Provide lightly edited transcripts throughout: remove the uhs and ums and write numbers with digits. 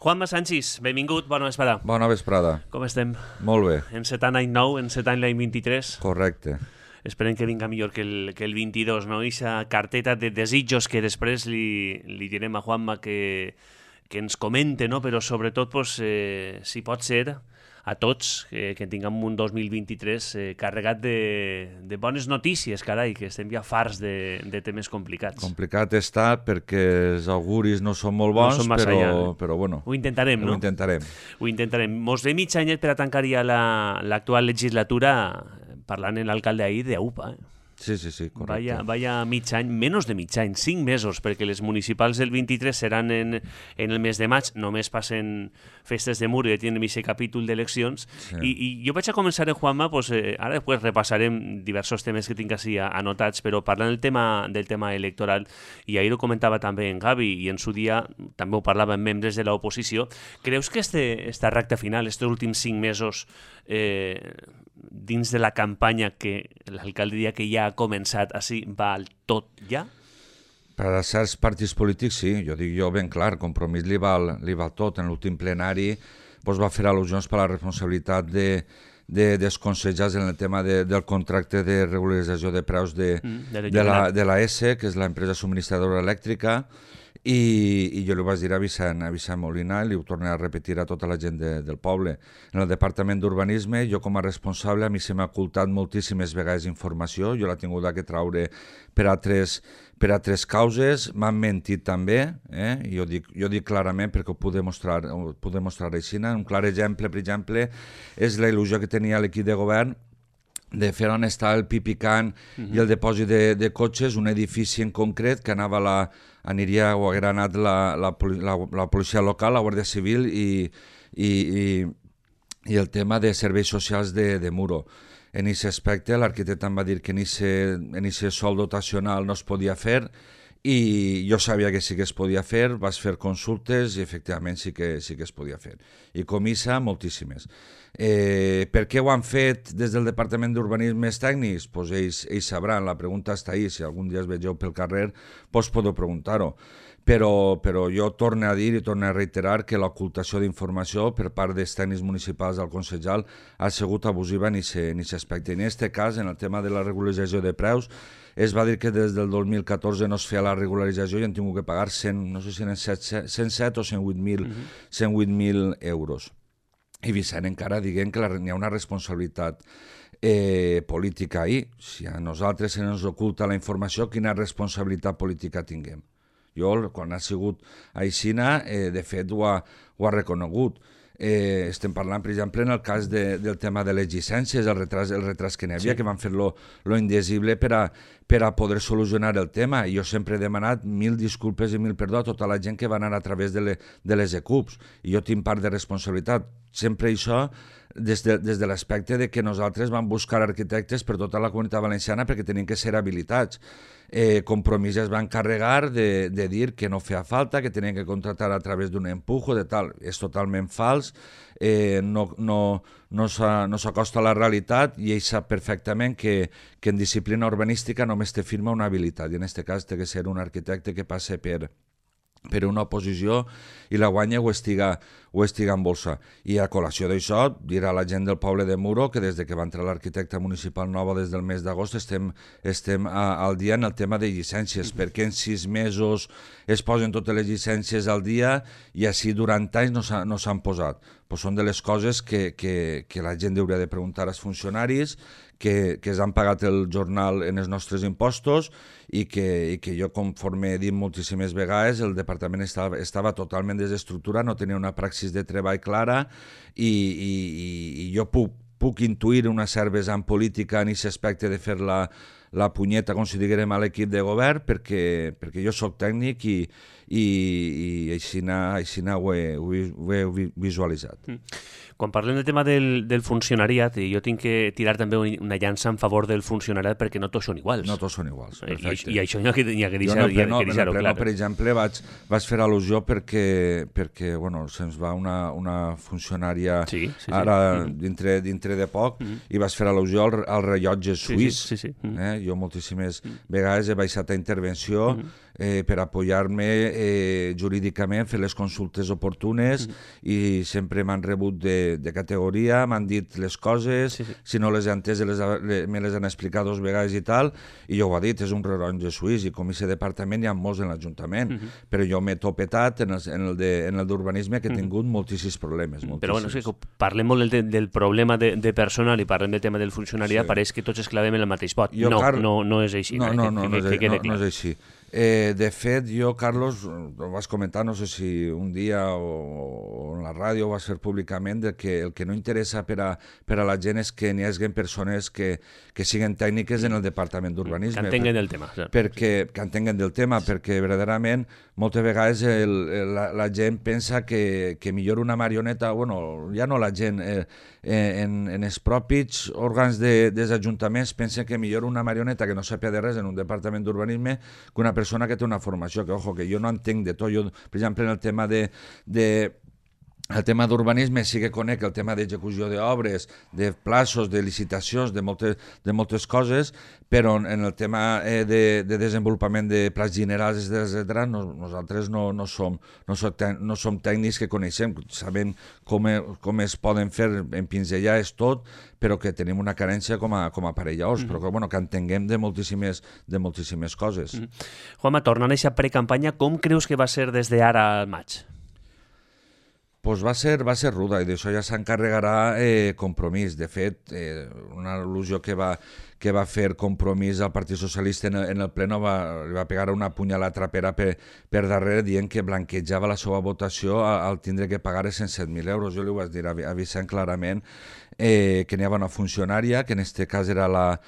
Juanma Sanchis, benvingut, bona vesprada. Bona vesprada. Com estem? Molt bé. Encetant any nou, encetant l'any 23. Correcte. Esperem que vinga millor que el 22, no? Ixa carteta de desitjos que després li direm a Juanma que ens comente, no? Però sobretot, pues, si pot ser, a tots, que tinguem un 2023 carregat de bones notícies, carai, que estem ja farts de temes complicats. Complicat està perquè els auguris no són molt bons, no són però bueno. Ho intentarem, no? Ho intentarem. Mos ve mig anyet per a tancar ja l'actual legislatura parlant en l'alcalde ahir d'UPA, Sí, correcte. Vaya mig any, menys de mig any, 5 mesos, perquè les municipals del 23 seran en el mes de maig, només passen festes de mur i tenen aquest capítol d'eleccions. Sí. I jo vaig a començar, Juanma, pues, ara després repassarem diversos temes que tinc així anotats, però parlant del tema electoral, i ahir ho comentava també en Gavi, i en su dia també ho parlava amb membres de l'oposició, creus que esta recta final, estos últims 5 mesos, dins de la campanya que l'alcalde diria que ja ha començat, així va al tot ja? Per a certs partits polítics sí, jo dic jo ben clar, Compromís li val tot. En l'últim plenari va fer al·lusions per la responsabilitat dels consellers en el tema del contracte de regularització de preus de la ESE, que és l'empresa subministradora elèctrica, i jo li vaig dir a Vicent Molina i li ho torno a repetir a tota la gent del poble. En el Departament d'Urbanisme, jo com a responsable, a mi se m'ha ocultat moltíssimes vegades informació, jo l'he tingut que traure per a tres causes, m'han mentit també, jo dic clarament perquè ho puc demostrar així. Un clar exemple, per exemple, és la il·lusió que tenia l'equip de govern de fer on està el Pipicant i el depòsit de cotxes, un edifici en concret que aniria o haguera anat la policia local, la Guàrdia Civil i el tema de serveis socials de Muro. En aquest aspecte l'arquitecte em va dir que en aquest sol dotacional no es podia fer i jo sabia que sí que es podia fer, vas fer consultes i efectivament sí que es podia fer. I comissa moltíssimes. Per què ho han fet des del Departament d'Urbanisme tècnics? Pues ells sabran, la pregunta està ahí, si algun dia es vegeu pel carrer podeu preguntar-ho. Però jo torno a dir i torno a reiterar que l'ocultació d'informació per part dels tècnics municipals del consellal ha sigut abusiva en aquest aspecte. En aquest cas, en el tema de la regularització de preus, es va dir que des del 2014 no es feia la regularització i han tingut que pagar 107 o 108.000 euros. I Vicent encara diguem que hi ha una responsabilitat política ahí. Si a nosaltres se ens oculta la informació, quina responsabilitat política tinguem? Jo, quan ha sigut aixina, de fet ho ha reconegut. Estem parlant, per exemple, en el cas del tema de les llicències, el retras que n'hi havia, que van fer lo indesible per a poder solucionar el tema. I jo sempre he demanat 1.000 disculpes i 1.000 perdó a tota la gent que va anar a través de les ECUPs. I jo tinc part de responsabilitat. Sempre això des de l'aspecte de que nosaltres vam buscar arquitectes per tota la comunitat valenciana perquè tenien que ser habilitats. Compromís es va encarregar de dir que no feia falta, que tenien que contratar a través d'un empujo, de tal. És totalment fals, no s'acosta a la realitat i ell sap perfectament que en disciplina urbanística només te firma una habilitat i en aquest cas té que ser un arquitecte que passe per una oposició i la guanya o estiga en bolsa. I a col·lació d'això, dirà la gent del poble de Muro que des que va entrar l'arquitecte municipal nova des del mes d'agost estem al dia en el tema de llicències, perquè en 6 mesos es posen totes les llicències al dia i així durant anys no s'han posat. Pues són de les coses que la gent hauria de preguntar als funcionaris que es han pagat el jornal en els nostres impostos i que jo, conforme he dit moltíssimes vegades, el departament estava totalment desestructurat, no tenia una praxis de treball clara i jo puc intuir una certa vessant política en aquest aspecte de fer la punyeta, com si diguérem, a l'equip de govern perquè jo soc tècnic i així ho he visualitzat. Quan parlem del tema del funcionariat, jo tinc que tirar també una llança en favor del funcionariat perquè no tots són iguals. No tots són iguals, perfecte. I això hi ha que deixar-ho clar. Per exemple, vaig fer al·lusió perquè se'ns va una funcionària ara dintre de poc i vaig fer al·lusió al rellotge suís. Jo moltíssimes vegades he baixat a intervenció per apoyar-me jurídicament, fer les consultes oportunes i sempre m'han rebut de categoria, m'han dit les coses, si no les he entès me les han explicat 2 vegades i tal, i jo ho ha dit, és un rellotge suís i com a departament hi ha molts en l'Ajuntament, però jo m'he topetat en el d'urbanisme que he tingut moltíssims problemes. Però bueno, parlem molt del problema de personal i parlem del tema del funcionariat, pareix que tots esclavem en el mateix pot. No és així. No és així. De fet, jo, Carlos, ho vas comentar, no sé si un dia o en la ràdio ho vas fer públicament, que el que no interessa per a la gent és que n'hi hagi persones que siguin tècniques en el Departament d'Urbanisme. Que entenguin del tema. Que entenguin del tema, perquè verdaderament moltes vegades la gent pensa que millor una marioneta, bueno, ja no la gent, en els propis òrgans dels ajuntaments pensen que millor una marioneta que no sàpiga de res en un departament d'urbanisme que una persona que té una formació, que ojo, que jo no entenc de tot. Jo, per exemple, en el tema el tema d'urbanisme sí que conec el tema d'execució d'obres, de plaços, de licitacions, de moltes coses, però en el tema de desenvolupament de plans generals, etc., nosaltres no som tècnics que coneixem, sabem com es poden fer en pinzellar és tot, però que tenim una carència com a aparelladors, però que entenguem de moltíssimes coses. Juanma, tornant a aquesta precampanya, com creus que va ser des d'ara al maig? Pues va ser ruda i d'això ja s'encarregarà Compromís. De fet, una al·lusió que va fer Compromís al Partit Socialista en el pleno li va pegar una punyalada trapera per darrere dient que blanquejava la seva votació al tindre que pagar 107.000 euros. Jo li ho vaig dir a Vicent clarament que n'hi havia una funcionària, que en aquest cas era la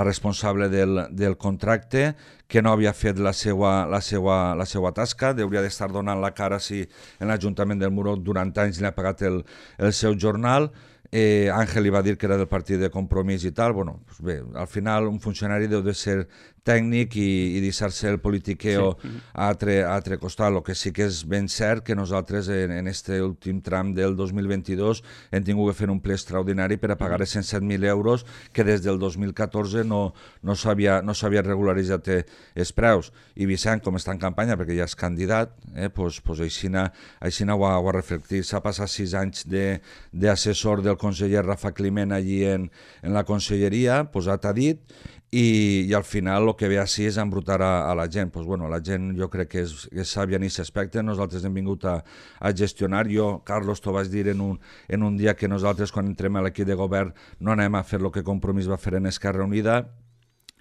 responsable del contracte, que no havia fet la seva tasca, hauria d'estar donant la cara si en l'Ajuntament del Muro durant anys li ha pagat el seu jornal. Àngel li va dir que era del partit de Compromís i tal. Bueno, pues bé, al final un funcionari deu de ser tècnic i deixar-se el politiqueo a altre costat. El que sí que és ben cert que nosaltres en aquest últim tram del 2022 hem tingut que fer un ple extraordinari per a pagar 107.000 euros que des del 2014 no s'havia regularitzat els preus. I Vicent, com està en campanya, perquè ja és candidat, pues així ho ha reflectit. S'ha passat 6 anys d'assessor del conseller Rafa Climent allí en la conselleria, posat a dit, i al final el que ve així és embrutar a la gent. Pues bueno, la gent jo crec que és sàvia en aquest aspecte. Nosaltres hem vingut a gestionar. Jo, Carlos, t'ho vaig dir en un dia que nosaltres quan entrem a l'equip de govern no anem a fer el que Compromís va fer en Esquerra Unida,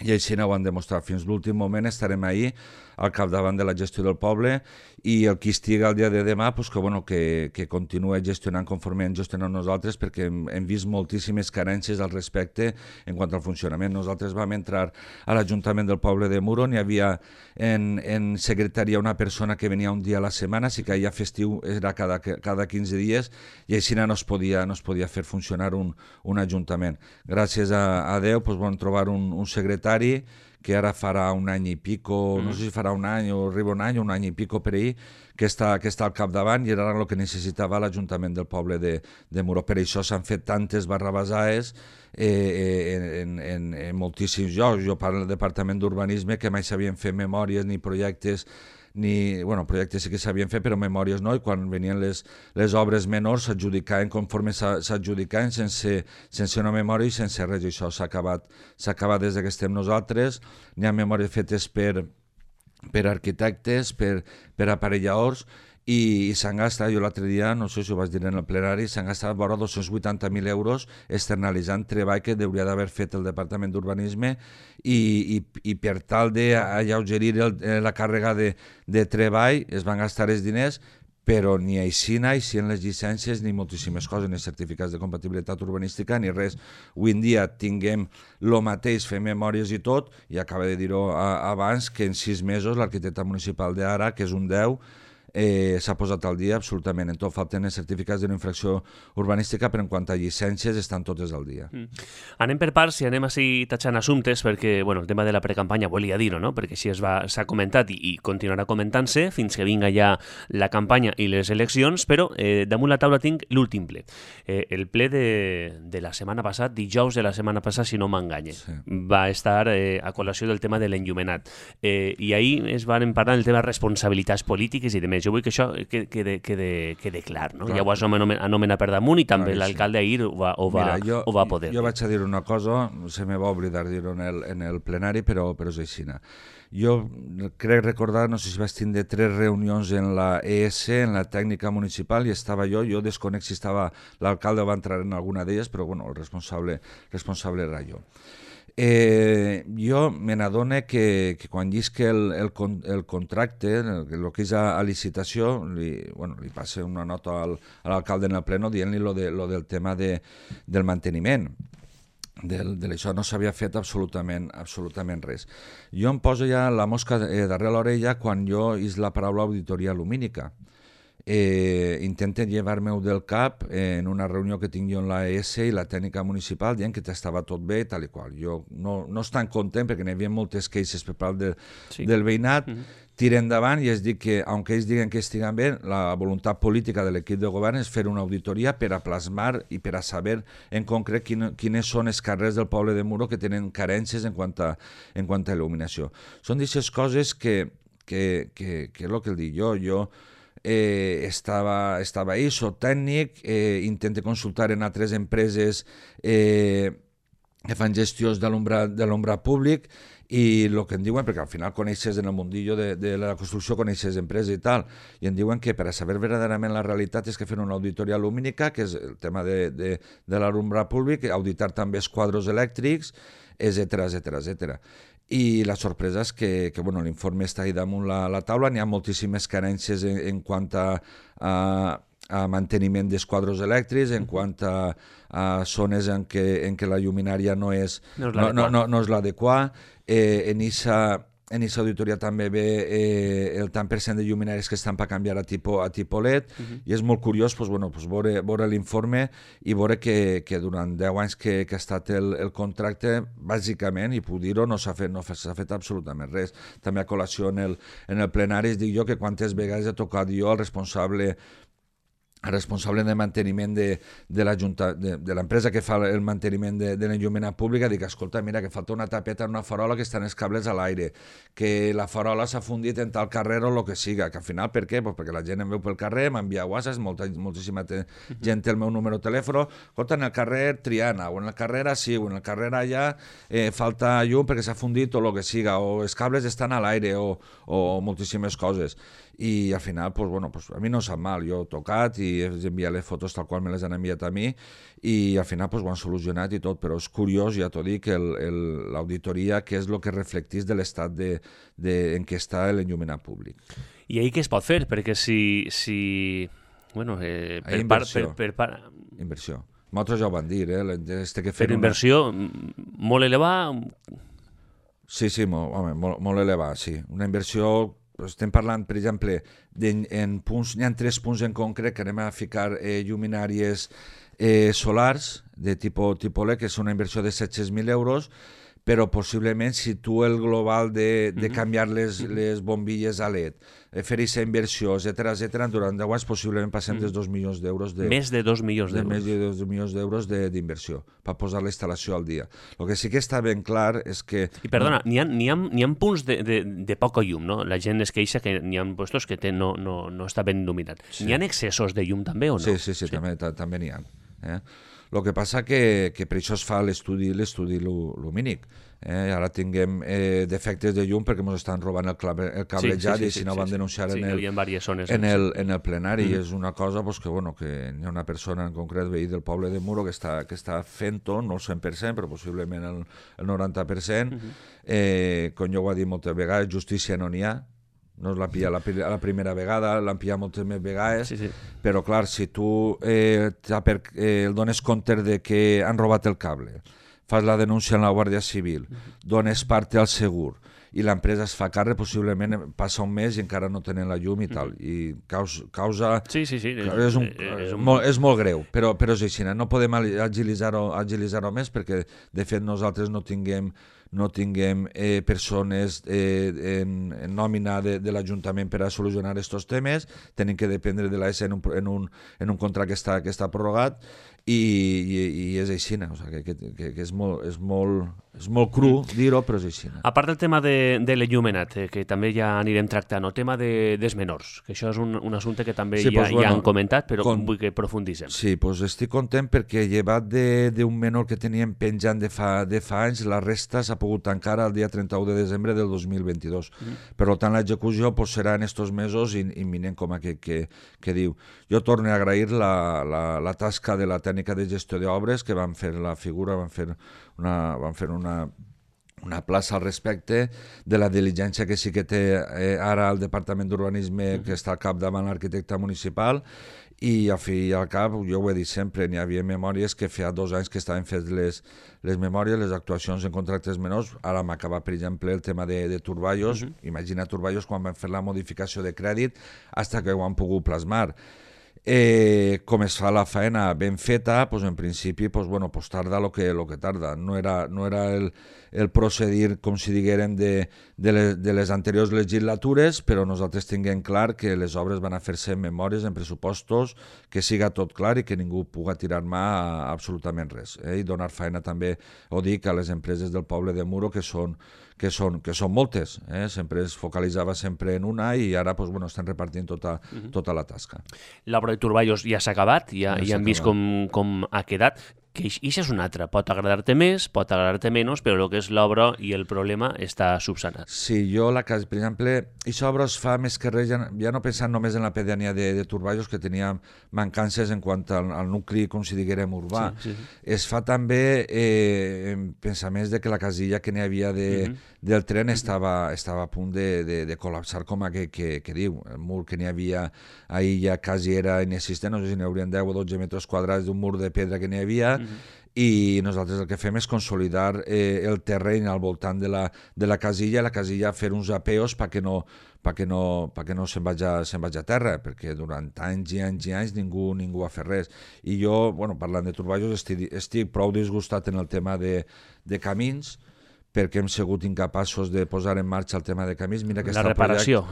i així no ho han demostrat. Fins l'últim moment estarem ahí al capdavant de la gestió del poble i el qui estigui el dia de demà que continuï gestionant conforme hem gestionat nosaltres, perquè hem vist moltíssimes carències al respecte en quant al funcionament. Nosaltres vam entrar a l'Ajuntament del poble de Muro, n'hi havia en secretaria una persona que venia un dia a la setmana, si que ja festiu era cada 15 dies, i així no es podia fer funcionar un ajuntament. Gràcies a Déu vam trobar un secretari que ara farà un any i pico, no sé si farà un any o arriba un any i pico per ahir, que està al capdavant, i era el que necessitava l'Ajuntament del poble de Muro. Per això s'han fet tantes barrabasaes en moltíssims llocs. Jo parlo del Departament d'Urbanisme, que mai sabien fer memòries ni projectes, projectes sí que s'havien fet, però memòries no, i quan venien les obres menors s'adjudicaven conforme s'adjudicaven sense una memòria i sense res. Això s'ha acabat des que estem nosaltres. N'hi ha memòries fetes per arquitectes, per aparelladors, i s'han gastat, jo l'altre dia, no sé si ho vaig dir en el plenari, s'han gastat vora 280.000 euros externalitzant treball que hauria d'haver fet el Departament d'Urbanisme i per tal d'alleugerir la càrrega de treball es van gastar els diners, però ni així en les llicències ni moltíssimes coses, ni certificats de compatibilitat urbanística ni res. Avui en dia tinguem el mateix, fem memòries i tot, i acaba de dir-ho abans, que en 6 mesos l'arquitecte municipal d'ara, que és un 10, s'ha posat al dia absolutament en tot. Falten els certificats d'una infracció urbanística, però en quant a llicències estan totes al dia. Anem per parts i anem així tachant assumptes, perquè el tema de la precampanya volia dir-ho, no? Perquè així s'ha comentat i continuarà comentant-se fins que vinga ja la campanya i les eleccions, però damunt la taula tinc l'últim ple. El ple de la setmana passada, dijous de la setmana passada, si no m'enganye, va estar a col·lació del tema de l'enllumenat. I ahir es van parlar del tema de responsabilitats polítiques i de més. Jo vull que això quede clar, no? Ja ho has anomenat per damunt i també l'alcalde ahir ho va poder. Jo vaig a dir una cosa, se me va oblidar dir-ho en el plenari, però és així. Jo crec recordar, no sé si vaig tindre 3 reunions en la ES, en la tècnica municipal, i estava jo desconec si estava l'alcalde o va entrar en alguna d'elles, però bueno, el responsable era jo. Jo me n'adono que quan llisc el contracte, el que és a licitació, li passa una nota a l'alcalde en el pleno dient-li lo del tema del manteniment. D'això no s'havia fet absolutament res. Jo em poso ja la mosca darrere l'orella quan jo és la paraula auditoria lumínica. Intenten llevar-me-ho del cap en una reunió que tinc jo en la ES i la tècnica municipal dient que estava tot bé tal i qual. Jo no estan content perquè n'hi havia moltes queixes per part del veïnat. Tira endavant i es diu que, aunque ells diguen que estiguen bé, la voluntat política de l'equip de govern és fer una auditoria per a plasmar i per a saber en concret quines són els carrers del poble de Muro que tenen carències en quant a il·luminació. Són d'aquestes coses que és el que dic jo estava ahí, soc tècnic, intento consultar en altres empreses que fan gestions de l'ombrat públic i el que em diuen, perquè al final coneixes en el mundillo de la construcció, coneixes empreses i tal, i em diuen que per a saber verdaderament la realitat és que fer una auditoria lumínica, que és el tema de l'alumbre públic, auditar també els quadros elèctrics, etc. I la sorpresa és que l'informe està ahí damunt la taula, n'hi ha moltíssimes carències en quant a manteniment dels quadros elèctrics, en quant a zones en què la lluminària no és l'adequada. En aquesta auditoria també ve el tant per cent de lluminàries que estan per canviar a tipus LED, i és molt curiós veure l'informe i veure que durant 10 anys que ha estat el contracte, bàsicament, i puc dir-ho, no s'ha fet absolutament res. També a col·lació en el plenari es dic jo que quantes vegades he tocat jo al responsable de manteniment de l'empresa que fa el manteniment de l'enllumenat pública, dic, escolta, mira, que falta una tapeta en una farola que estan els cables a l'aire, que la farola s'ha fundit en tal carrer o el que siga, que al final, per què? Pues perquè la gent em veu pel carrer, m'envia whatsapps, moltíssima gent té el meu número de telèfon, escolta, en el carrer Triana, o en el carrer així, o en el carrer allà, falta llum perquè s'ha fundit o el que siga, o els cables estan a l'aire, o moltíssimes coses. I al final, a mi no em sap mal, jo he tocat i he enviat les fotos tal qual me les han enviat a mi i al final ho han solucionat i tot, però és curiós, ja t'ho dic, l'auditoria, que és el que reflecteix de l'estat en què està l'enllumenat públic. I ahir què es pot fer? Perquè si inversió. Nosaltres ja ho van dir, però inversió molt elevada? Sí, molt elevada, sí. Una inversió. Estem parlant, per exemple, en punts, n'hi ha 3 punts en concret que anem a ficar lluminàries solars de tipus LED, que és una inversió de 700.000 euros, però possiblement si tu el global de canviar les bombilles a LED, fer aquesta inversió, etc., durant 10 anys possiblement passem dels 2 milions d'euros. Més de 2 milions d'euros. Més de 2 milions d'euros d'inversió per posar la instal·lació al dia. El que sí que està ben clar és que... I perdona, n'hi ha punts de poca llum, no? La gent es queixa que n'hi ha puestos que no està ben il·luminat. Sí. N'hi ha excessos de llum també o no? Sí. També n'hi ha. El que passa que per això es fa l'estudi lumínic. Ara tinguem defectes de llum perquè ens estan robant el cablejat i si no van denunciar en el plenari. I és una cosa que hi ha una persona en concret, veí del poble de Muro, que està fent-ho, no el 100%, però possiblement el 90%. Com jo ho he dit moltes vegades, justícia no n'hi ha. No es la pilla la primera vegada, l'han pillat moltes més vegades, però clar, si tu el dones compte de que han robat el cable, fas la denúncia en la Guàrdia Civil, dones part al segur i l'empresa es fa càrrec, possiblement passa un mes i encara no tenen la llum i tal, i causa... Sí. És molt greu, però és així, no podem agilitzar-ho més perquè de fet nosaltres no tinguem persones en nòmina de l'Ajuntament per a solucionar aquests temes, tenim que dependre de l'AS en un contracte que està prorrogat i és així, o sigui, que és molt cru dir-ho, però és així. A part del tema de l'enllumenat, que també ja anirem tractant, el tema dels menors, que això és un assumpte que també ja han comentat, però vull que profundissem. Sí, doncs estic content perquè llevat d'un menor que teníem penjant de fa anys, la resta s'ha pogut tancar el dia 31 de desembre del 2022. Per tant, l'execució serà en aquests mesos imminent, com que diu. Jo torno a agrair la tasca de la tècnica de gestió d'obres, que van fer la figura, van fer una plaça al respecte de la diligència que sí que té ara el Departament d'Urbanisme, que està al capdavant l'arquitecte municipal, i al fi i al cap, jo ho he dit sempre, n'hi havia memòries que feia 2 anys que estaven fets les memòries, les actuacions en contractes menors. Ara m'acaba, per exemple, el tema de Turballos. Imagina Turballos quan van fer la modificació de crèdit fins que ho han pogut plasmar. Com es fa la feina ben feta, pues en principi tarda el que tarda. No era el procedir, com si diguérem, de les anteriors legislatures, però nosaltres tinguem clar que les obres van a fer-se en memòries, en pressupostos, que siga tot clar i que ningú puga tirar mà a absolutament res. I donar feina també, ho dic, a les empreses del poble de Muro, que són moltes, sempre es focalitzava sempre en una i ara estan repartint tota la tasca. L'obra de Turballos ja s'ha acabat, ja hem vist com ha quedat, que això és un altre, pot agradar-te més, pot agradar-te menys, però el que és l'obra i el problema està subsanat. Sí, jo per exemple, aquesta obra es fa més que res, ja no pensant només en la pedania de Turballos, que tenia mancances en quant al nucli, com si diguérem, urbà. Sí. Es fa també en pensaments de que la casilla que n'hi havia del tren estava a punt de col·lapsar, com que diu. El mur que n'hi havia ahir ja quasi era inexistent, no sé si n'hi haurien 10 o 12 metres quadrats d'un mur de pedra que n'hi havia, i nosaltres el que fem és consolidar el terreny al voltant de la casilla fer uns apeos perquè no se'n vagi a terra, perquè durant anys i anys i anys ningú ha fet res. I jo, parlant de Turballos, estic prou disgustat en el tema de camins, perquè hem sigut incapaços de posar en marxa el tema de camins. Mira que la reparació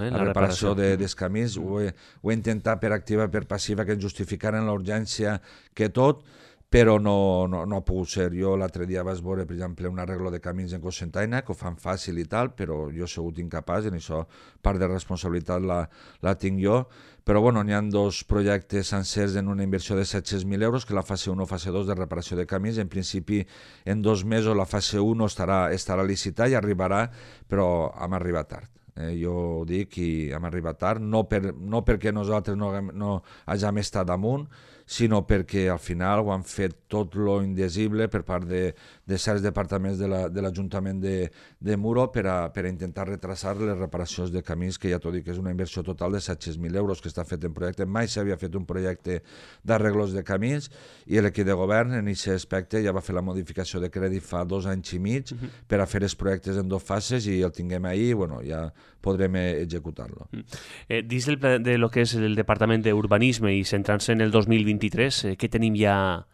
dels camins, ho he intentat per activa i per passiva, que ens justificaren la urgència que tot, però no ha pogut ser. Jo l'altre dia vaig veure, per exemple, un arreglo de camins en Cocentaina, que ho fan fàcil i tal, però jo he sigut incapaç, i en això part de responsabilitat la tinc jo. Però n'hi ha 2 projectes sencers en una inversió de 700.000 euros, que la fase 1 o fase 2 de reparació de camins. En principi, en 2 mesos la fase 1 estarà licitada i arribarà, però hem arribat tard. Jo ho dic, i hem arribat tard, no perquè nosaltres no hàgim estat damunt, sinó perquè al final ho han fet tot lo indesible per part de certs departaments de l'Ajuntament de Muro per a intentar retrasar les reparacions de camins, que ja t'ho dic, és una inversió total de 700.000 euros que està fet en projecte. Mai s'havia fet un projecte d'arreglos de camins, i l'equip de govern en aquest aspecte ja va fer la modificació de crèdit fa 2 anys i mig per a fer els projectes en 2 fases, i el tinguem ahir, ja podrem executar-lo. Dins de lo que és el Departament d'Urbanisme i centrant-se en el 2023, què tenim ja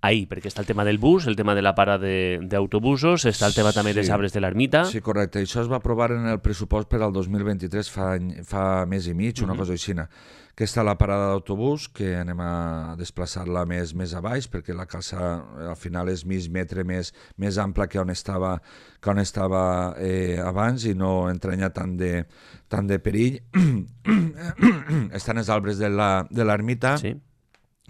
ahir? Perquè està el tema del bus, el tema de la parada d'autobusos, està el tema també dels arbres de l'ermita. Sí, correcte. Això es va aprovar en el pressupost per al 2023 fa mes i mig, una cosa així. Que està la parada d'autobús, que anem a desplaçar-la més a baix, perquè la casa al final és mig metre més ampla que on estava abans, i no entranya tant de perill. Estan els arbres de l'ermita,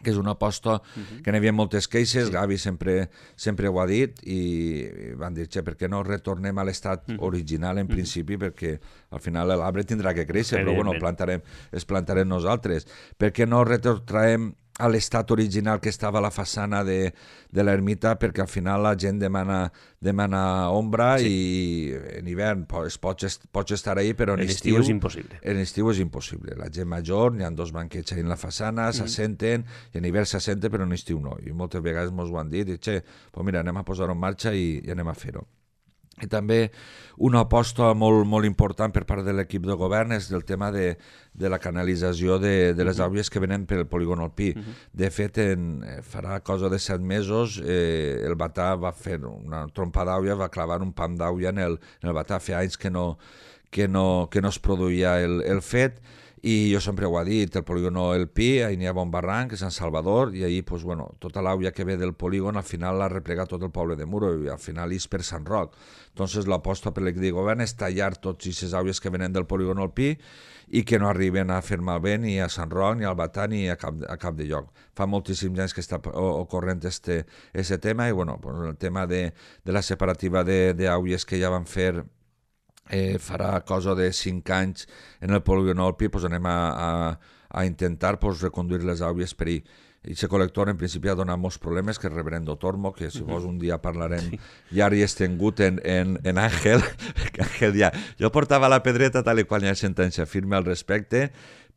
que és una aposta que n'hi havia moltes queixes. Gavi sempre ho ha dit, i van dir, per què no retornem a l'estat original en principi, perquè al final l'arbre tindrà que créixer, però es plantarem nosaltres. Per què no retrotraem a l'estat original que estava a la façana de l'ermita, perquè al final la gent demana ombra, i en hivern pots estar ahí, però en estiu és impossible. En estiu és impossible. La gent major, n'hi ha 2 banquets ahí en la façana, s'assenten, i en hivern s'assenten, però en estiu no. I moltes vegades ens ho han dit, mira, anem a posar-ho en marxa i anem a fer-ho. I també una aposta molt, molt important per part de l'equip de govern és del tema de la canalització de les àuies que venen pel polígon alpí. De fet, farà cosa de 7 mesos, el Batà va fer una trompa d'àuia, va clavar un pam d'àuia en el Batà. Feia anys que no es produïa el fet, i jo sempre ho he dit, el polígon El Pi, ahir n'hi ha bon barranc, Sant Salvador, i ahir pues, bueno, tota l'àuia que ve del polígon al final l'ha replegat tot el poble de Muro, i al final és per Sant Roc. Entonces l'aposta per l'equip de govern és tallar tots aquestes àuies que venen del polígon El Pi i que no arriben a fer malbé ni a Sant Roc, ni al Batà, ni a cap de lloc. Fa moltíssims anys que està ocorrent este tema, i bueno, pues, el tema de la separativa d'àuies que ja van fer farà cosa de 5 anys en el polígon Alpi, pues anem a intentar pues, reconduir les àuies per ahir. I aquest col·lector en principi ha donat molts problemes, que és Reverendo Tormo, que si vols un dia parlarem llarg i estengut en Àngel, que Àngel ja... Jo portava la pedreta tal i qual hi ha sentència firme al respecte,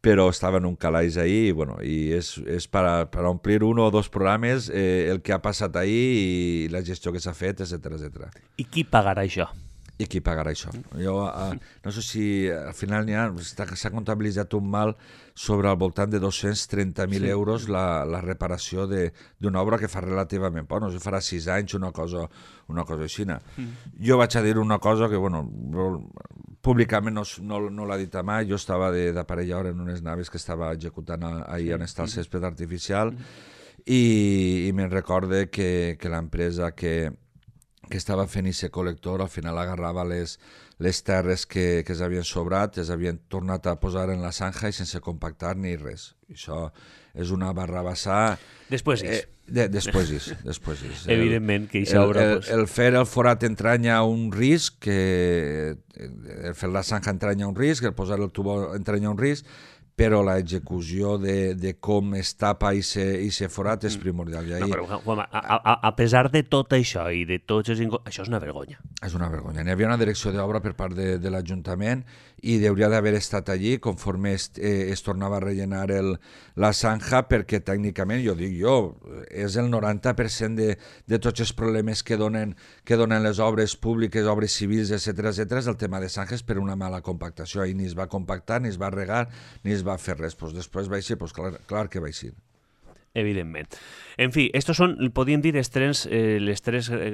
però estava en un calaix ahir, i, bueno, i és per omplir un o dos programes el que ha passat ahir i la gestió que s'ha fet, etc. I qui pagarà això? I qui pagarà això? Jo no sé si al final s'ha comptabilitzat un mal sobre al voltant de 230.000 euros la reparació d'una obra que fa relativament poc, no sé, farà 6 anys, una cosa així. Jo vaig a dir una cosa que, bueno, públicament no l'ha dit mai. Jo estava d'aparellador en unes naves que estava executant ahir on està el césped artificial, i me'n recorde que l'empresa que estava fent aquest col·lector al final agarrava les terres que s'havien sobrat, les havien tornat a posar en la zanja i sense compactar ni res. Això és una barrabassar. Després és. Després és. Evidentment que això obra... El fer el forat entranya un risc, el fer la zanja entranya un risc, el posar el tubo entranya un risc, però l'execució de com es tapa i se forat és primordial. No, però, Juanma, a pesar de tot això i de tots els... Això és una vergonya. És una vergonya. N'hi havia una direcció d'obra per part de l'Ajuntament i hauria d'haver estat allí conforme es tornava a rellenar la zanja, perquè tècnicament, és el 90% de tots els problemes que donen les obres públiques, obres civils, etc., és el tema de zanjes per una mala compactació. Ahir ni es va compactar, ni es va regar, ni es va fer res. Pues després va ser, pues clar que va ser. Evidentment. En fi, estos són, podríem dir, les tres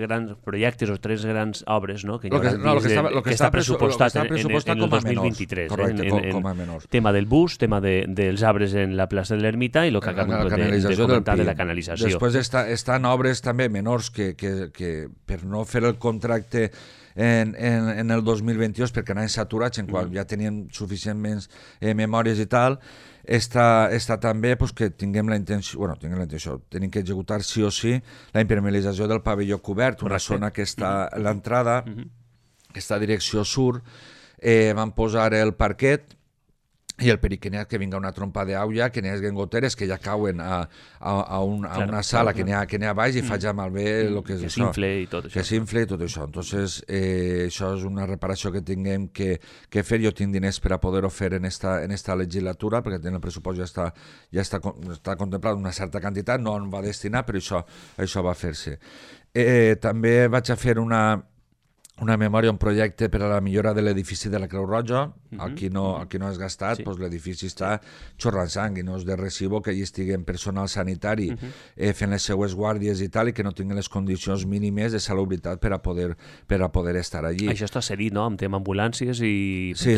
grans projectes o tres grans obres, no? Que està pressupostat en el 2023. Correcte, com a menors. Tema del bus, tema dels arbres en la plaça de l'Ermita i el que acabem de comentar de la canalització. Després estan obres també menors que per no fer el contracte en el 2022, perquè anaven saturats, en qual ja tenien suficientment memòries i tal, està també que tinguem la intenció, tenim que executar sí o sí la impermeabilització del pavelló cobert, una zona que està a l'entrada, aquesta direcció sur, van posar el parquet i el perill que n'hi ha que vinga una trompa d'àuia, que n'hi hagi goteres que ja cauen a una sala que n'hi ha baix i faig malbé el que és això. Que s'infle i tot això. Entonces, això és una reparació que tinguem que fer. Jo tinc diners per a poder-ho fer en esta legislatura, perquè en el pressupost ja està contemplat una certa quantitat, no en va destinar, però això va fer-se. També vaig a fer una memòria, un projecte per a la millora de l'edifici de la Creu Roja. Aquí no és gastat, doncs l'edifici està xorrant sang i no és de recibo que hi estigui personal sanitari fent les seues guàrdies i tal, i que no tinguin les condicions mínimes de salubritat per a poder estar allí. Això està cedit, no?, amb tema ambulàncies i... Sí,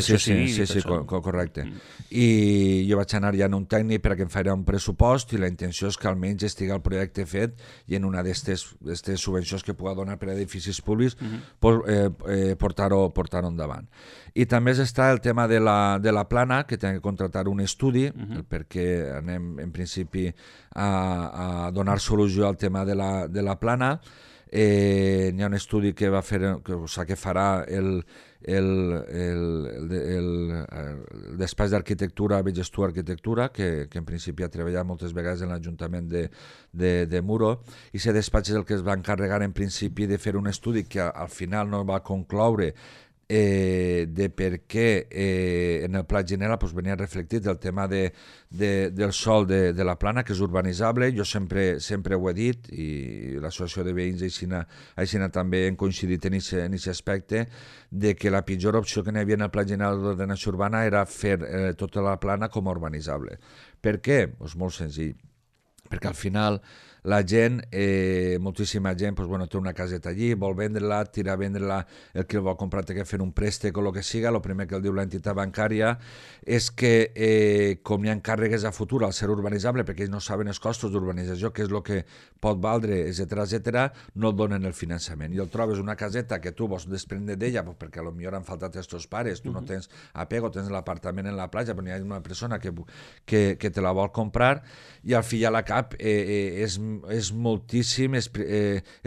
correcte. I jo vaig anar ja en un tècnic per a que em farà un pressupost, i la intenció és que almenys estigui el projecte fet i en una d'aquestes subvencions que pugui donar per a edificis públics portar-ho endavant. I també està el tema de la plana, que tenim que contratar un estudi, perquè anem en principi a donar solució al tema de la plana. Hi ha un estudi que farà el despatx d'arquitectura Bellestur Arquitectura, que en principi ha treballat moltes vegades en l'Ajuntament de Muro, i aquest despatx és el que es va encarregar en principi de fer un estudi que al final no va concloure de per què en el Pla Ginela venia reflectit el tema del sòl de la Plana, que és urbanitzable. Jo sempre ho he dit, i l'associació de veïns així també hem coincidit en aquest aspecte, de que la pitjor opció que n'hi havia en el Pla General d'Ordenació Urbana era fer tota la Plana com a urbanitzable. Per què? Doncs molt senzill, perquè al final la gent, moltíssima gent, té una caseta allí, vol vendre-la, tira a vendre-la, el que el vol comprar té que fer un préstec o el que siga. El primer que el diu l'entitat bancària és que com hi ha càrregues a futur al ser urbanitzable, perquè ells no saben els costos d'urbanització, què és el que pot valdre, etc., no et donen el finançament. I el trobes una caseta que tu vols desprendre d'ella, perquè potser han faltat els teus pares, tu no tens apego, tens l'apartament en la platja, però hi ha una persona que te la vol comprar, i al fi i a la cap és moltíssim els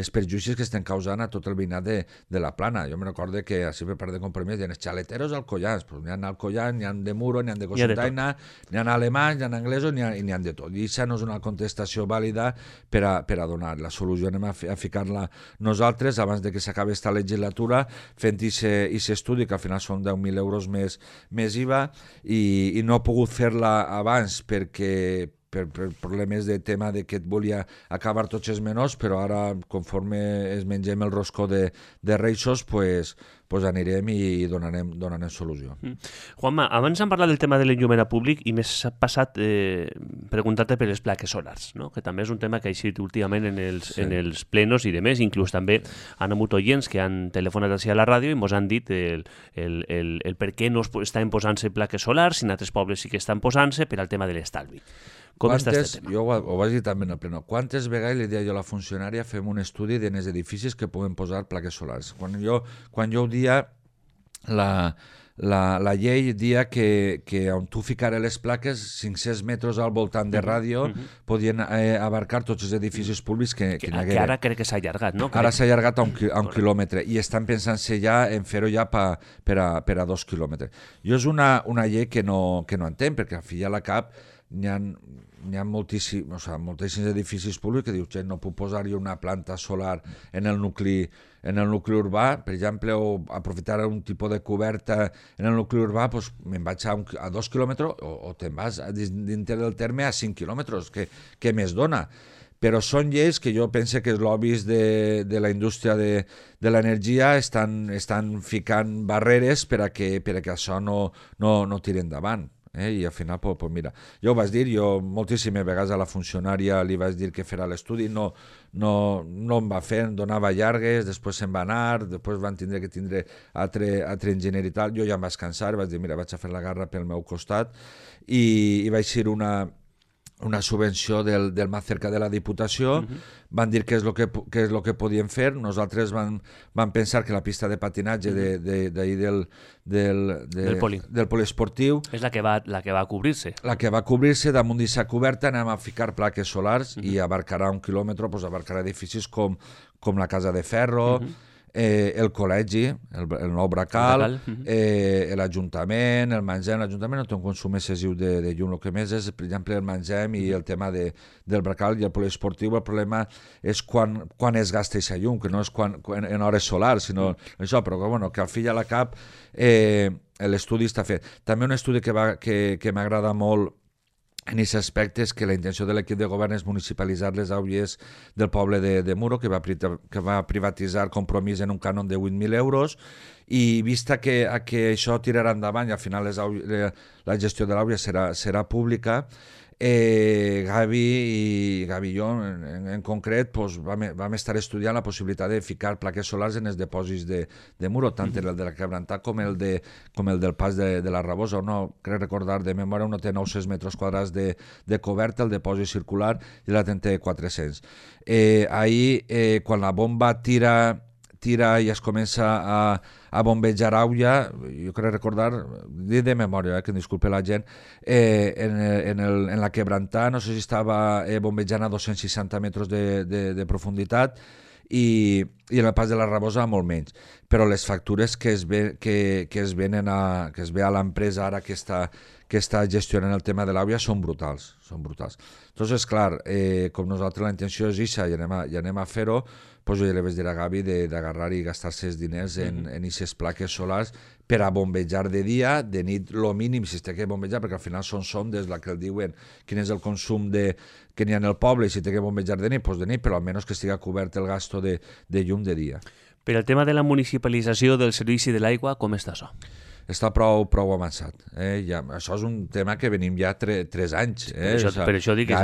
perjudicis que estan causant a tot el veïnat de la Plana. Jo me recordo que així per part de Compromís hi ha els xaleteros alcoians, n'hi ha alcoians, n'hi ha de Muro, n'hi ha de Cosentaina, n'hi ha alemanys, n'hi ha anglesos, n'hi ha de tot. I això no és una contestació vàlida per a donar. La solució anem a ficar-la nosaltres abans de que s'acabi aquesta legislatura, fent aquest estudi, que al final són 10.000 euros més IVA, i no he pogut fer-la abans perquè per problemes de tema de que et volia acabar tots els menors, però ara, conforme es mengem el roscó de Reixos, pues anirem i donarem solució. Juanma, abans hem parlat del tema de l'enllumera públic i m'he passat preguntar-te per les plaques solars, no? Que també és un tema que ha eixit últimament en els plenos i demés. Inclús també han hagut oients que han telefonat així a la ràdio i ens han dit el per què no estan posant-se plaques solars, si en altres pobles sí que estan posant-se, per al tema de l'estalvi. Com està aquest tema? Jo ho vaig dir també en el pleno. Quantes vegades li deia jo a la funcionària fem un estudi en els edificis que puguem posar plaques solars? Quan jo ho dia, la llei dia que on tu ficares les plaques, 500 metres al voltant de ràdio, podien abarcar tots els edificis públics que n'hi haguera. Que ara crec que s'ha allargat, no? Ara s'ha allargat a un quilòmetre i estan pensant-se ja en fer-ho ja per a 2 quilòmetres. Jo és una llei que no entenc, perquè al fi i a la cap n'hi ha moltíssims edificis públics que dius, no puc posar jo una planta solar en el nucli urbà, per exemple, o aprofitar un tipus de coberta en el nucli urbà, doncs me'n vaig a 2 quilòmetres o te'n vas dintre del terme a 5 quilòmetres, què més dona? Però són lleis que jo penso que els lobbies de la indústria de l'energia estan ficant barreres per a que això no tiri endavant. I al final, mira, jo ho vaig dir, jo moltíssimes vegades a la funcionària li vaig dir que farà l'estudi, no em va fer, em donava llargues, després se'n va anar, després van tindre que tindre altre enginyer i tal. Jo ja em vaig cansar, vaig dir, mira, vaig a fer la garra pel meu costat, i vaig ser una subvenció del Macerca de la Diputació. Van dir què és el que podien fer. Nosaltres vam pensar que la pista de patinatge del poliesportiu és la que va cobrir-se. La que va cobrir-se, damunt d'aquesta coberta anem a ficar plaques solars i abarcarà 1 quilòmetre, abarcarà edificis com la Casa de Ferro, el col·legi, el nou Bracal, l'Ajuntament, el Mangem. L'Ajuntament no té un consum excessiu de llum, el que més és, per exemple, el Mangem i el tema del Bracal i el poliesportiu. El problema és quan es gasta aquesta llum, que no és en hores solars, sinó això, però que al fi i a la cap l'estudi està fet. També un estudi que m'agrada molt en aquest aspecte és que la intenció de l'equip de govern és municipalitzar les aules del poble de Muro, que va privatitzar Compromís en un cànon de 8.000 euros, i vista que això tirarà endavant i al final la gestió de l'àula serà pública, Gavi i jo en concret vam estar estudiant la possibilitat de ficar plaques solars en els depòsits de Muro, tant el de la Quebrantat com el del Pas de la Rabosa. Crec recordar de memòria, uno té 900 metres quadrats de coberta, el depòsit circular, i l'altre té 400. Ahir, quan la bomba tira i es comença a bombejar aigua, jo crec recordar, dir de memòria, que em disculpe la gent, en la Quebrantat, no sé si estava bombejant a 260 metres de profunditat, i en el Pas de la Rabosa molt menys, però les factures que es ve a l'empresa ara que que està gestionant el tema de l'aigua són brutals, són brutals. Entonces, clar, com nosaltres la intenció és ixa i anem a fer-ho, doncs jo ja li vaig dir a Gavi d'agarrar i gastar-se els diners en aquestes plaques solars per a bombejar de dia, de nit lo mínim si es té que bombejar, perquè al final són sondes la que el diuen quin és el consum que n'hi ha en el poble i si té que bombejar de nit, doncs de nit, però almenys que estigui cobert el gasto de llum de dia. Per el tema de la municipalització del servici de l'aigua, com està això? Està prou avançat. Ja, això és un tema que venim ja 3 anys. Per això dic que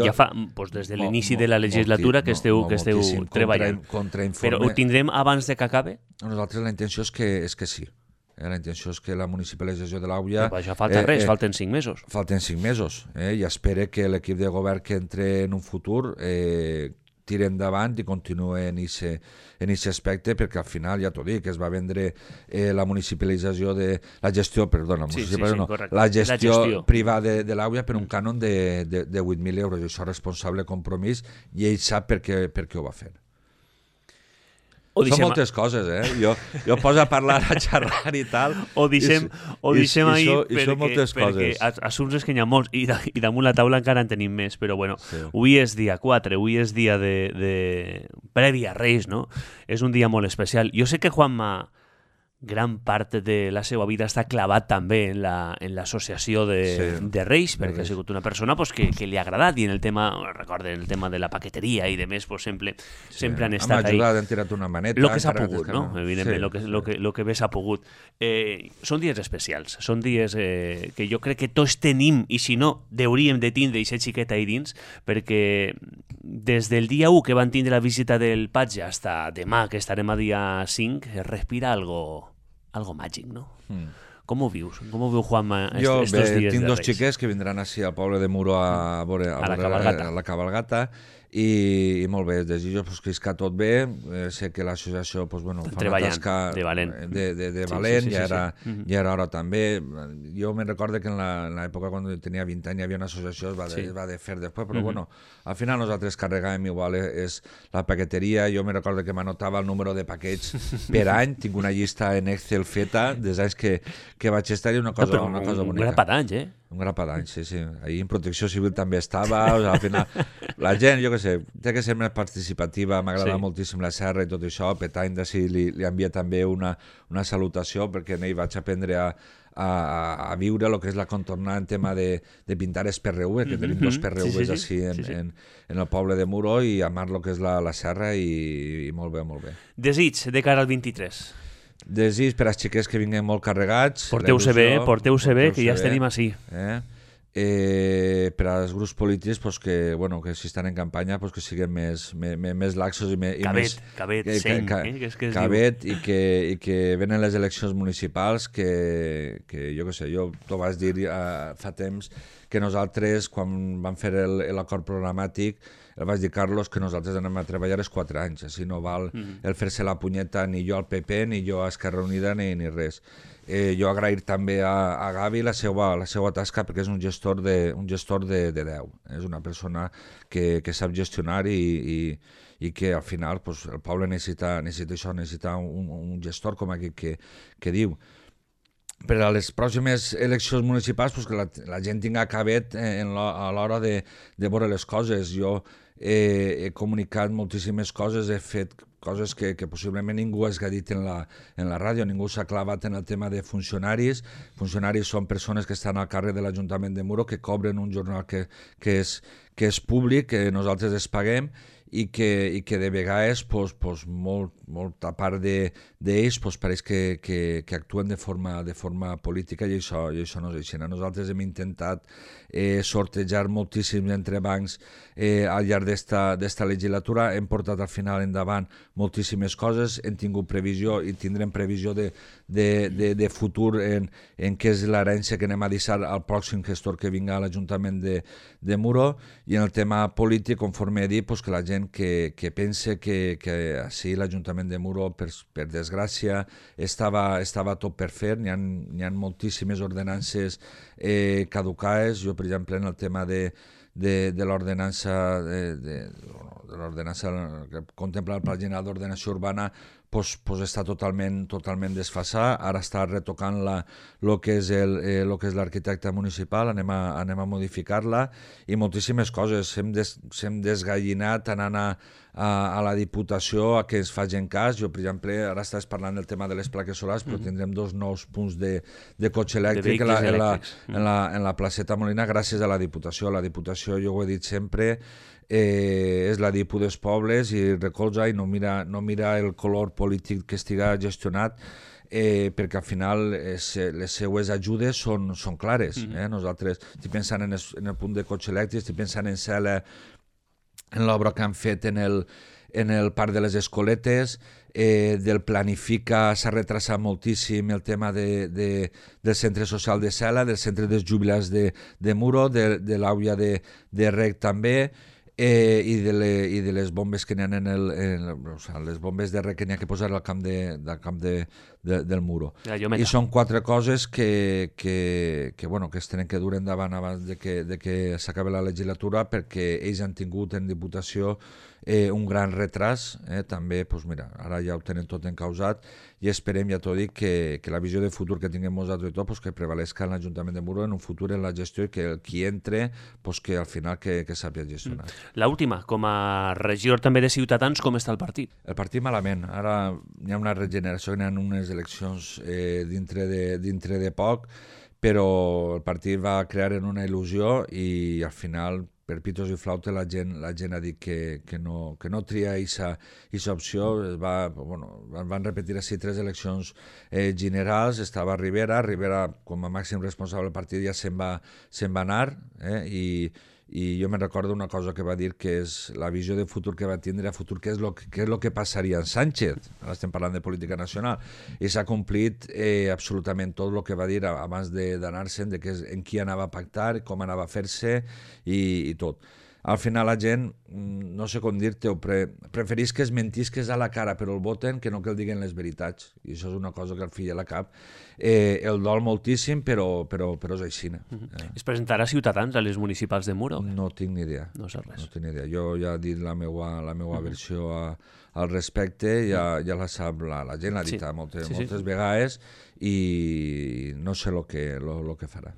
ja fa des de l'inici de la legislatura que esteu treballant. Però ho tindrem abans de que acabe? Nosaltres la intenció és que sí. La intenció és que la municipalització de l'Àuia... Però això falta res, falten 5 mesos. Falten 5 mesos. I espero que l'equip de govern que entre en un futur tira endavant i continua en aquest aspecte, perquè al final, ja t'ho dic, es va vendre la municipalització de la gestió, perdona, la gestió privada de l'Àuia per un cànon de 8.000 euros, i això és responsable compromís, i ell sap per què ho va fer. Són moltes coses, jo poso a parlar, a xerrar i tal. Ho deixem ahir perquè assumptes que n'hi ha molts i damunt la taula encara en tenim més, però bueno, avui és dia 4, avui és dia de prèvia a Reis, no? És un dia molt especial. Jo sé que Juanma gran part de la seva vida està clavat també en l'associació de Reis, perquè ha sigut una persona que li ha agradat, i en el tema, recorden, el tema de la paqueteria i de més, sempre han estat ahí. M'ha ajudat, han tirat una maneta. El que s'ha pogut, no? Evidentment, el que bé s'ha pogut. Són dies especials, són dies que jo crec que tots tenim, i si no, hauríem de tindre aquesta xiqueta ahí dins, perquè des del dia 1 que van tindre la visita del patge fins a demà, que estarem a dia 5, es respira algo màgic, no? Com ho vius? Com ho viu Juanma estos dies de Reis? Tinc 2 xiquets que vindran així al poble de Muro a veure la cabalgata, i molt bé, desitjo que isca tot bé. Sé que l'associació fa una tasca de valent, ja era hora també. Jo me'n recordo que en l'època quan tenia 20 anys hi havia una associació, es va de fer després, però bueno, al final nosaltres carregàvem igual és la paqueteria. Jo me'n recordo que m'anotava el número de paquets per any, tinc una llista en Excel feta des anys que vaig estar, i una cosa bonica. Un grapat d'anys, Un grapat d'anys, sí. Ahir en Protecció Civil també estava, al final la gent, jo què sé, té que ser més participativa, m'agrada moltíssim la serra i tot això, Petany d'ací li envia també una salutació, perquè en ell vaig aprendre a viure el que és la contornada en tema de pintar els PRV, que tenim 2 PRVs així en el poble de Muro, i amar el que és la serra, i molt bé, molt bé. Desig de cara al 23. Desig per als xiquets que vinguin molt carregats. Porteu-se bé, que ja estem així. Per als grups polítics que si estan en campanya que siguin més laxos i més... Cabet, seny, cabet, i que venen les eleccions municipals, que jo què sé, jo t'ho vaig dir fa temps, que nosaltres, quan vam fer l'acord programàtic, el vaig dir, Carlos, que nosaltres anem a treballar els 4 anys, així no val el fer-se la punyeta ni jo al PP, ni jo a Esquerra Unida, ni res. Jo agrair també a Gavi la seva tasca, perquè és un gestor de 10. És una persona que sap gestionar i que al final el poble necessita això, necessita un gestor com aquest que diu. Per a les pròximes eleccions municipals que la gent tinga cabet a l'hora de veure les coses. Jo he comunicat moltíssimes coses, he fet coses que possiblement ningú ha dit en la ràdio, ningú s'ha clavat en el tema de funcionaris. Funcionaris són persones que estan al càrrec de l'Ajuntament de Muro, que cobren un jornal que és públic, que nosaltres es paguem, i que de vegades molta part d'ells pareix que actuen de forma política, i això no és així. Nosaltres hem intentat sortejar moltíssims entrebancs al llarg d'esta legislatura, hem portat al final endavant moltíssimes coses, hem tingut previsió i tindrem previsió de futur en què és l'herència que anem a deixar al pròxim gestor que vinga a l'Ajuntament de Muro. I en el tema polític, conforme he dit, que la gent que pense que així l'Ajuntament de Muro, per desgràcia, estava tot per fer. N'hi ha moltíssimes ordenances caducades. Jo, per exemple, en el tema de l'ordenança que contempla el Pla General d'Ordenació Urbana, pues està totalment desfasat. Ara està retocant el que és l'arquitecte municipal, anem a modificar-la i moltíssimes coses. S'hem desgallinat anant a la Diputació a que ens facin cas. Jo, per exemple, ara estàs parlant del tema de les plaques solars, però tindrem 2 nous punts de cotxe elèctric en la placeta Molina gràcies a la Diputació. La Diputació, jo ho he dit sempre, és la Dipu dels pobles i recolza i no mira el color polític que estiga gestionat, perquè al final les seues ajudes són clares. Nosaltres estic pensant en el punt de cotxe elèctric, estic pensant en Cela, en l'obra que han fet en el Parc de les Escoletes, del Planifica s'ha retrasat moltíssim el tema del centre social de Cela, del centre dels jubilats de Muro, de l'àuia de Rec també, i de les bombes que n'hi ha les bombes de Rec que n'hi ha que posar al camp del Muro. I són 4 coses que es tenen que dur endavant abans de que s'acabi la legislatura, perquè ells han tingut en Diputació un gran retras, també, ara ja ho tenen tot encausat i esperem, ja t'ho dic, que la visió de futur que tinguem nosaltres i tot, que prevalesca en l'Ajuntament de Muro en un futur en la gestió i que qui entre, que al final que sàpiga gestionar. L'última, com a regidor també de Ciutadans, com està el partit? El partit malament. Ara hi ha una regeneració, hi ha unes eleccions dintre de poc, però el partit va crear en una il·lusió i al final, per pitos i flautes, la gent ha dit que no tria aquesta opció. Van repetir així 3 eleccions generals, estava Rivera com a màxim responsable del partit ja se'n va anar, i jo me'n recordo una cosa que va dir, que és la visió de futur que va tindre a futur, que és el que passaria en Sánchez. Ara estem parlant de política nacional, i s'ha complit absolutament tot el que va dir abans d'anar-se'n, en qui anava a pactar, com anava a fer-se i tot. Al final la gent, no sé com dir-te, preferís que es mentisques a la cara però el voten que no que el diguen les veritats, i això és una cosa que al fill a la cap el dol moltíssim, però és així. Es presentarà Ciutadans a les municipals de Muro? No tinc ni idea. No sé res. No tinc ni idea. Jo ja he dit la meua versió al respecte, ja la sap la gent, l'ha dit moltes vegades, i no sé el que farà.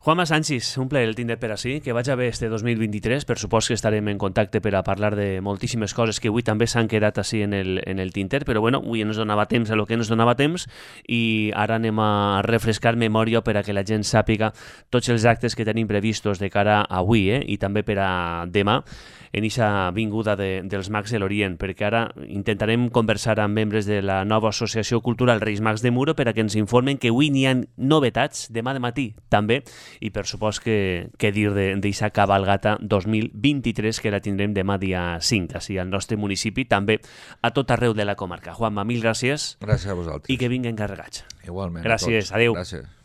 Juanma Sanchis, un plaer el tindre per ací, que vaig a bé este 2023, per supòs que estarem en contacte per a parlar de moltíssimes coses que avui també s'han quedat ací en el tinter, però bueno, avui ens donava temps a lo que ens donava temps i ara anem a refrescar memòria per a que la gent sàpiga tots els actes que tenim previstos de cara a avui i també per a demà en aquesta vinguda dels Mags de l'Orient, perquè ara intentarem conversar amb membres de la nova Associació Cultural Reis Mags de Muro per a que ens informen que avui n'hi ha novetats, demà de matí també, i per supòs que dir d'aquesta cabalgata 2023 que la tindrem demà dia 5, així al nostre municipi, també a tot arreu de la comarca. Juanma, mil gràcies. Gràcies a vosaltres. I que vinguen carregats. Igualment. Gràcies, adeu. Gràcies.